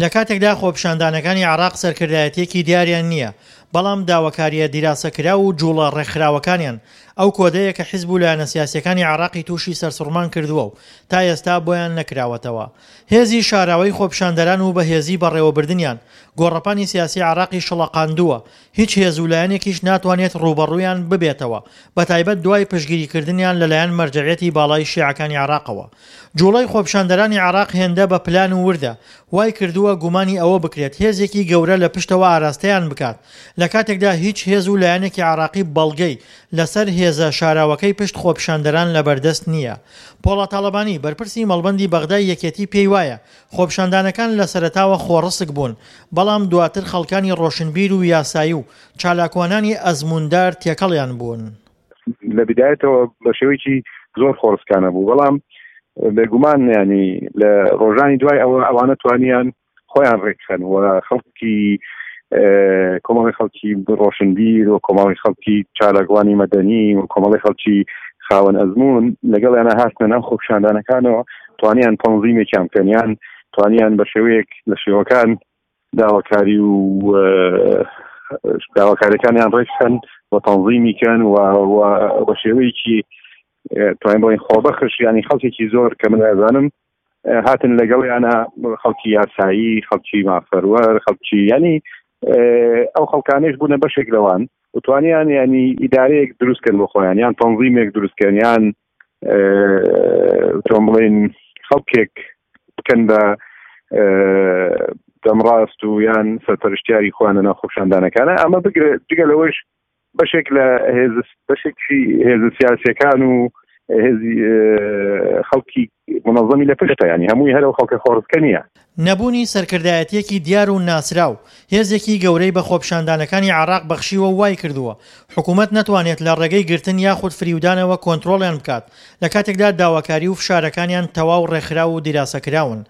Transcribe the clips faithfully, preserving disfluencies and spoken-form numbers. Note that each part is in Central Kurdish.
لە کاتێکدا خۆپیشاندانەکانی عێراق سەرکردایەتییەکی دیاریان نییە، بەڵام داواکارییە دیراسەکراو و جوڵە ڕێکخراوەکانیان ئەو کۆدەیە کە حزب و لایەنە سیاسییەکانی عێراقی تووشی سەرسوڕمان کردووە و تا ئێستا بۆیان نەکراوەتەوە. هێزی شاراوەی خۆپیشاندەران و بەهێزی بەڕێوەبردنیان گۆڕەپانی سیاسی عێراقی شڵەقاندووە، هیچ هێز و لایەنێکیش ناتوانێت ڕووبەڕوویان ببێتەوە، بەتایبەت دوای پشتگیریکردنیان لەلایەن مەرجەعیەتی باڵای شیعەکانی عێراقەوە. جوڵەی خۆپیشاندەرانی عێراق هێندە بە پلان و وردە، وای کردووە گومانی ئەوە بکرێت هێزێکی گەورە لە پشتەوە ئاراستەیان بکات، لە کاتێکدا هیچ هێز و لایەنێکی عێراقی بەڵگەی لەسەر هێزە شاراوەکەی پشت خۆپیشاندەران لەبەردەست نییە. پۆڵا تاڵەبانی، بەرپرسی مەڵبەندی بەغدای یەکێتی پێی وایە خۆپیشاندانەکان لە سەرەتاوە خۆڕسک بوون، بەڵام دواتر خەڵکانی ڕۆشنبیر و یاسایی و چالاکوانانی ئەزمووندار تێکەڵیان بوون. لە بدایەتەوە بە شێوەیەکی زۆر خۆڕسکانە بوو، بەڵام بێگومان ینی لە ڕۆژانی دوای ئەوە ئەوانە توانیان خۆیان ڕێکخەن و خەڵکی کۆمەڵی خەڵکی ڕۆشنبیر و کۆمەڵی خەڵکی چالاکوانی مەدەنی و کۆمەڵی خەڵکی خاوەن ئەزمون لەگەڵیانە هاتنە ناو خۆپیشاندانەکانەوە، توانیان تەنزیمێکیان بکەن، یان توانیان بە شێوەیەک لە شێوەکان داواکاری و داواکاریەکانیان ڕێکخەن و تەنزیمی کەن و بە شێوەیەکی توانین بڵێین خۆبەخش، ینی خەڵکێکی زۆر کە من ئەزانم هاتن لەگەڵیانە، خەڵکی یاسایی، خەڵکی مافەروەر، خەڵکی ینی ئەو خەڵکانێش بوونە بەشێک لەوان و توانیان ینی ئیدارەیەک دروستکەن بۆ خۆیان، یان تەنزیمێک دروستکەن، یان تۆم بڵێن خەڵکێک بکەن بە دەمڕاست و یان سەرپەرشتیاری خۆیان لە ناو خۆپیشاندانەکانە. ئەمە بگرە جگە لەوەش بەشێک لە هێز بەشێکی هێزە سیاسیەکان و هێزی خەڵکی منەظەمی لە پشتە، ینی هەمووی هەر ئەو خەڵکە خۆڕسکە نییە. نەبوونی سەرکردایەتیەکی دیار و ناسراو هێزێکی گەورەی بە خۆپیشاندانەکانی عێراق بەخشیوە و وای کردووە حکوومەت نەتوانێت لە ڕێگەی گرتن یاخود فریودانەوە کۆنترۆڵیان بکات، لە کاتێکدا داواکاری و فشارەکانیان تەواو ڕێکخراو و دیراسەکراون.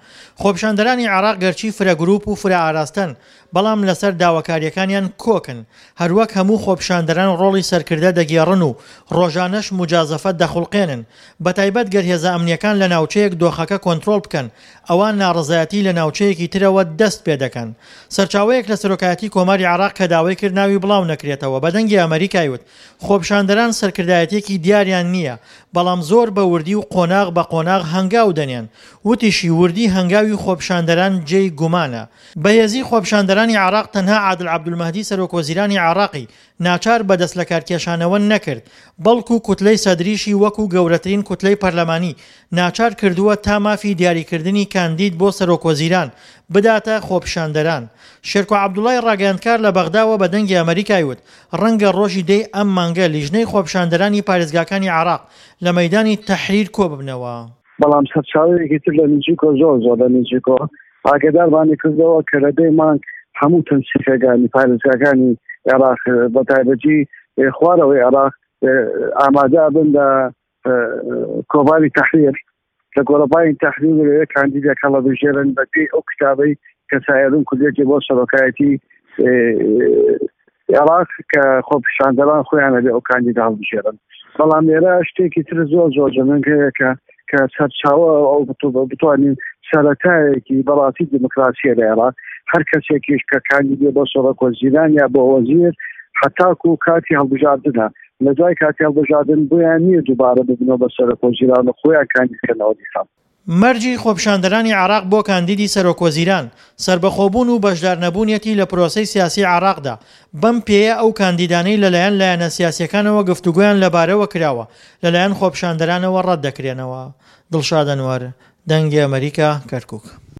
خۆپیشاندەرانی عێراق گەرچی فرە گروپ و فرە ئاراستەن، بەڵام لەسەر داواکاریەکانیان کۆکن، هەروەک هەموو خۆپیشاندەران ڕۆڵی سەرکردە دەگێڕن و ڕۆژانەش موجازەفە دەخوڵقێنن، بەتایبەت گەر هێزە ئەمنیەکان لە ناوچەیەک دۆخەکە کۆنترۆڵ بکەن، ئەوا ناڕەزایەتی لە ناوچەیەکی ترەوە دەست پێ دەکەن. سەرچاوەیەک لە سەرۆکایەتی کۆماری عێراق کە داوای کرد ناوی بڵاو نەکرێتەوە بە دەنگی ئەمەریکای وت خۆپیشاندەران سەرکردایەتیەکی دیاریان نییە، بەڵام زۆر بە وردی و قۆناغ بە قۆناغ هەنگاو دەنێن. وتیشی وردی هەنگاوی خۆپیشاندەران جێی گومانە. بەهێزی خۆپیشاندەرانی عێراق تەنها عادل عەبدولمەهدی سەرۆک وەزیرانی عێراقی ناچار بە دەست لەکارکێشانەوە نەکرد، بەڵکو کوتلەی سەدریشی وەکو گەورەترین کوتلەی پەرلەمانی ناچار کردووە تا مافی دیاریکردنی کاندید بۆ سەرۆک وەزیران بداتە خۆپیشاندەران. شێرکۆ عەبدوڵای ڕاگەیاندکار لە بەغداوە بە دەنگی ئەمەریکای وت ڕەنگە ڕۆژی دەی ئەم مانگە لیژنەی خۆپیشاندەرانی پارێزگاکانی عێراق لە مەیدانی تەحریر کۆببنەوە. بەڵام سەرچاوەیەکی تر لە نزیکۆ زۆر زۆر لە نزیکۆ ئاگادارمانی کردەوە کە لە دەی مانگ هەموو تەنسیقەکانی پارێزگاکانی عێراق بە تایبەتی خوارەوەی عێراق ئامادە بن لە کۆباری تەحریر، لە گۆڕەپانی تەحریر لەوێ کاندیدێک هەڵەبژێرن بە پێی ئەو کتابەی کە سائرون کوردێتی بۆ سەرۆکایەتی عێراق کە خۆپیشاندەران خۆیان لەبێ ئەو کاندیدە هەڵبژێرن. بەڵام لێرە شتێکی تر زۆر زۆر جەنگ هەیە کە کە سەرچاوە ئەو بتوانین سەرەتایەکی بەڕاستی دیموکراسیە لە عێراق، هەر کەسێکیش کە کاندیدێ بۆ سەرۆک وەزیران یا بۆ وەزیر حتاکو کاتی هەڵبژاردنە، لە دوای کاتی هەڵبژاردن بۆیان نییە دووبارە ببنەوە بە سەرۆک وەزیران و خۆیان کاندیدکەنەوە دیسان. مەرجی خۆپیشاندەرانی عێراق بۆ کاندیدی سەرۆک وەزیران، سەربەخۆبوون و بەشدارنەبوونیەتی لە پرۆسەی سیاسی عێراقدا، بەم پێیە ئەو کاندیدانەی لەلایەن لایەنە سیاسیەکانەوە گفتوگۆیان لەبارەوە کراوە لەلایەن خۆپیشاندەرانەوە ڕەت دەکرێنەوە. دڵشاد ئەنوەر، دەنگی ئەمەریکا، کەرکوک.